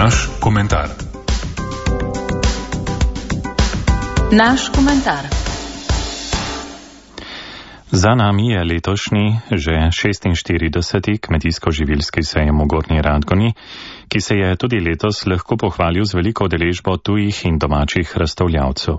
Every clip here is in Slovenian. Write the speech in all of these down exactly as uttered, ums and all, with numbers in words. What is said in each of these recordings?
Naš komentar. Naš komentar. Za nami je letošnji, že šestinštirideseti kmetijsko-živilski sejem v Gornji Radgoni, ki se je tudi letos lahko pohvalil z veliko udeležbo tujih in domačih razstavljavcev.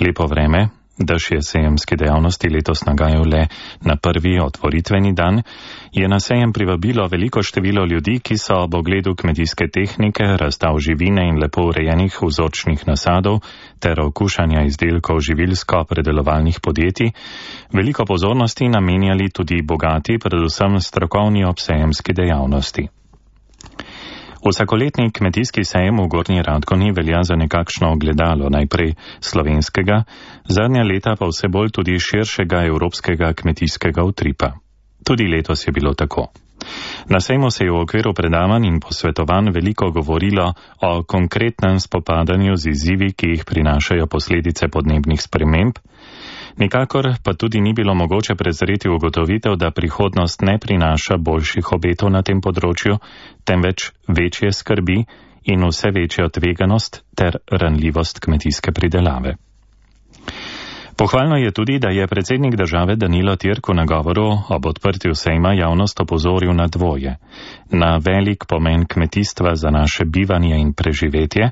Lepo vreme, dež je sejemske dejavnosti letos nagajal le na prvi otvoritveni dan, je na sejem privabilo veliko število ljudi, ki so ob ogledu kmetijske tehnike, razstav živine in lepo urejenih vzorčnih nasadov ter okušanja izdelkov živilsko-predelovalnih podjetij veliko pozornosti namenjali tudi bogati, predvsem strokovni obsejemski dejavnosti. Vsakoletni kmetijski sejem v Gornji Radgoni velja za nekakšno ogledalo najprej slovenskega, zadnja leta pa vse bolj tudi širšega evropskega kmetijskega utripa. Tudi letos je bilo tako. Na sejmu se je v okviru predavanj in posvetovanj veliko govorilo o konkretnem spopadanju z izzivi, ki jih prinašajo posledice podnebnih sprememb, nikakor pa tudi ni bilo mogoče prezreti ugotovitev, da prihodnost ne prinaša boljših obetov na tem področju, temveč večje skrbi in vse večjo tveganost ter ranljivost kmetijske pridelave. Pohvalno je tudi, da je predsednik države Danilo Türk v nagovoru ob odprtju sejma javnost opozoril na dvoje, na velik pomen kmetijstva za naše bivanje in preživetje,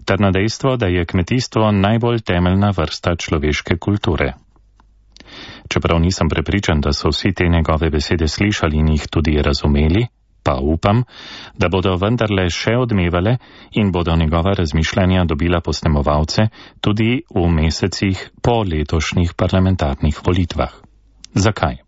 ter na dejstvo, da je kmetijstvo najbolj temeljna vrsta človeške kulture. Čeprav nisem prepričan, da so vsi te njegove besede slišali in jih tudi razumeli, pa upam, da bodo vendarle še odmevale in bodo njegova razmišljanja dobila posnemovalce tudi v mesecih po letošnjih parlamentarnih volitvah. Zakaj?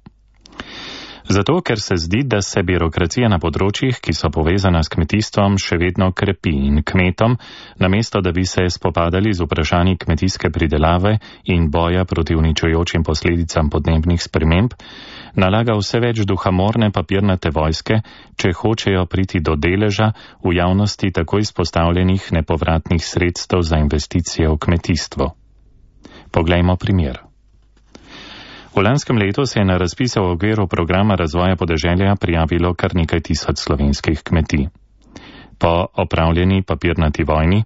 Zato, ker se zdi, da se birokracija na področjih, ki so povezana s kmetijstvom, še vedno krepi in kmetom, namesto da bi se spopadali z vprašanji kmetijske pridelave in boja proti uničujočim posledicam podnebnih sprememb, nalaga vse več duhamorne papirnate vojske, če hočejo priti do deleža v javnosti tako izpostavljenih nepovratnih sredstev za investicije v kmetijstvo. Poglejmo primer. V lanskem letu se je na razpise v okviru programa razvoja podeželja prijavilo kar nekaj tisoč slovenskih kmetij. Po opravljeni papirnati vojni,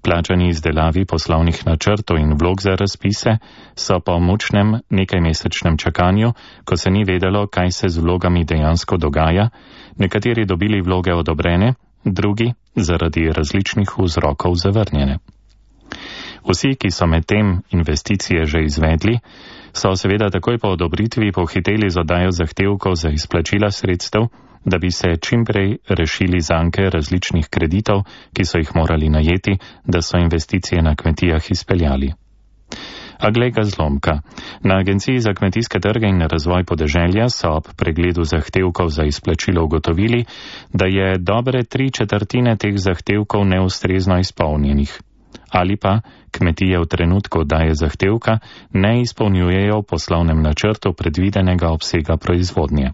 plačani izdelavi poslovnih načrtov in vlog za razpise, so po mučnem nekajmesečnem čakanju, ko se ni vedelo, kaj se z vlogami dejansko dogaja, nekateri dobili vloge odobrene, drugi zaradi različnih vzrokov zavrnjene. Vsi, ki so med tem investicije že izvedli, so seveda takoj po odobritvi pohiteli z oddajo zahtevkov za izplačila sredstev, da bi se čimprej rešili zanke različnih kreditov, ki so jih morali najeti, da so investicije na kmetijah izpeljali. A glej ga zlomka. Na Agenciji za kmetijske trge in razvoj podeželja so ob pregledu zahtevkov za izplačilo ugotovili, da je dobre tri četrtine teh zahtevkov neustrezno izpolnjenih. Ali pa kmetije v trenutku oddaje zahtevka ne izpolnjujejo v poslovnem načrtu predvidenega obsega proizvodnje.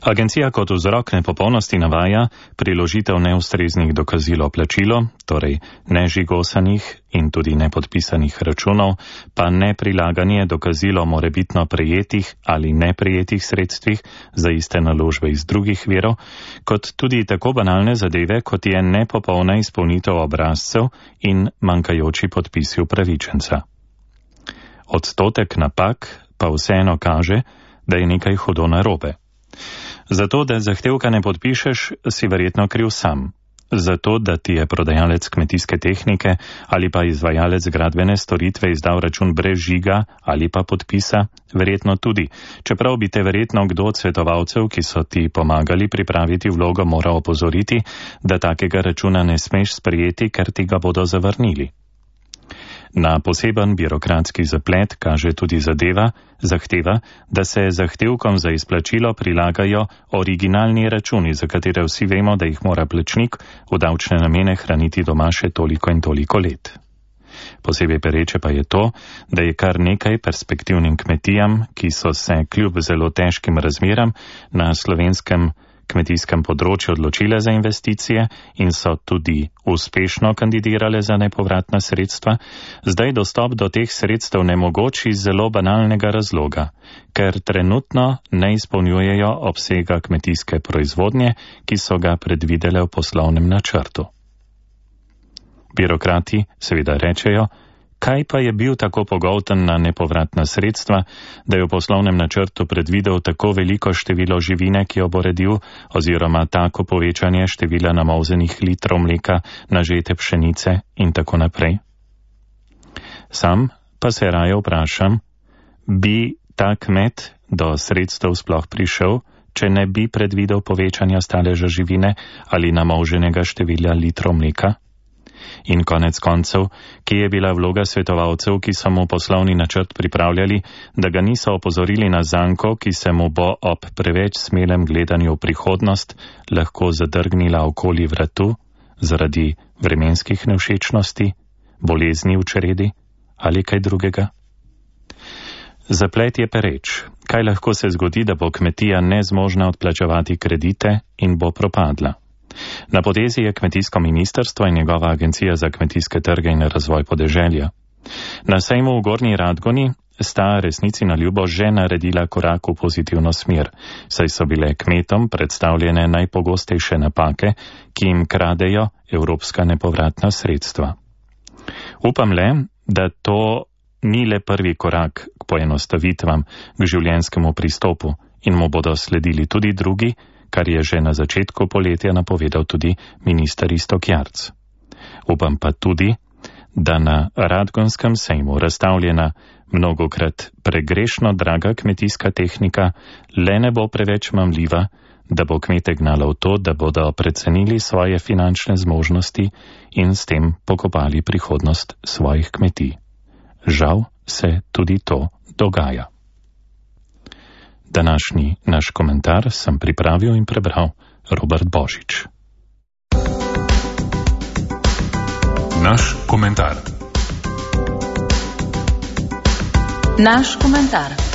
Agencija kot vzrok nepopolnosti navaja priložitev neustreznih dokazil o plačilu, torej nežigosanih in tudi nepodpisanih računov, pa neprilaganje dokazilo morebitno prejetih ali neprejetih sredstvih za iste naložbe iz drugih virov, kot tudi tako banalne zadeve, kot je nepopolna izpolnitev obrazcev in manjkajoči podpisi upravičenca. Odstotek napak pa vseeno kaže, da je nekaj hudo narobe. Zato, da zahtevka ne podpišeš, si verjetno kriv sam. Zato, da ti je prodajalec kmetijske tehnike ali pa izvajalec gradbene storitve izdal račun brez žiga ali pa podpisa, verjetno tudi, čeprav bi te verjetno kdo od svetovalcev, ki so ti pomagali pripraviti vlogo, moral opozoriti, da takega računa ne smeš sprejeti, ker ti ga bodo zavrnili. Na poseben birokratski zaplet kaže tudi zadeva, zahteva, da se zahtevkom za izplačilo prilagajo originalni računi, za katere vsi vemo, da jih mora plačnik v davčne namene hraniti doma še toliko in toliko let. Posebej pereče pa je to, da je kar nekaj perspektivnim kmetijam, ki so se kljub zelo težkim razmeram na slovenskem kmetijskem področju odločile za investicije in so tudi uspešno kandidirale za nepovratna sredstva, zdaj dostop do teh sredstev nemogoč iz zelo banalnega razloga, ker trenutno ne izpolnjujejo obsega kmetijske proizvodnje, ki so ga predvidele v poslovnem načrtu. Birokrati seveda rečejo, kaj pa je bil tako pogolten na nepovratna sredstva, da je v poslovnem načrtu predvidel tako veliko število živine, ki jo bo redil, oziroma tako povečanje števila namolzenih litrov mleka na žete pšenice in tako naprej. Sam pa se raje vprašam, bi ta kmet do sredstev sploh prišel, če ne bi predvidel povečanja staleža živine ali namolženega števila litrov mleka? In konec koncev, kje je bila vloga svetovalcev, ki so mu poslovni načrt pripravljali, da ga niso opozorili na zanko, ki se mu bo ob preveč smelem gledanju v prihodnost lahko zadrgnila okoli vratu zaradi vremenskih nevšečnosti, bolezni v čredi ali kaj drugega? Zaplet je pereč. Kaj lahko se zgodi, da bo kmetija nezmožna odplačevati kredite in bo propadla? Na potezi je kmetijsko ministrstvo in njegova agencija za kmetijske trge in razvoj podeželja. Na sejmu v Gornji Radgoni sta resnici na ljubo že naredila korak v pozitivno smer, saj so bile kmetom predstavljene najpogostejše napake, ki jim kradejo evropska nepovratna sredstva. Upam le, da to ni le prvi korak k poenostavitvam, k življenjskemu pristopu in mu bodo sledili tudi drugi, kar je že na začetku poletja napovedal tudi minister Iztok Jarc. Upam pa tudi, da na Radgonskem sejmu razstavljena mnogokrat pregrešno draga kmetijska tehnika le ne bo preveč mamljiva, da bo kmete gnala v to, da bodo precenili svoje finančne zmožnosti in s tem pokopali prihodnost svojih kmetij. Žal se tudi to dogaja. Današnji naš komentar sem pripravil in prebral Robert Božič. Naš komentar. Naš komentar.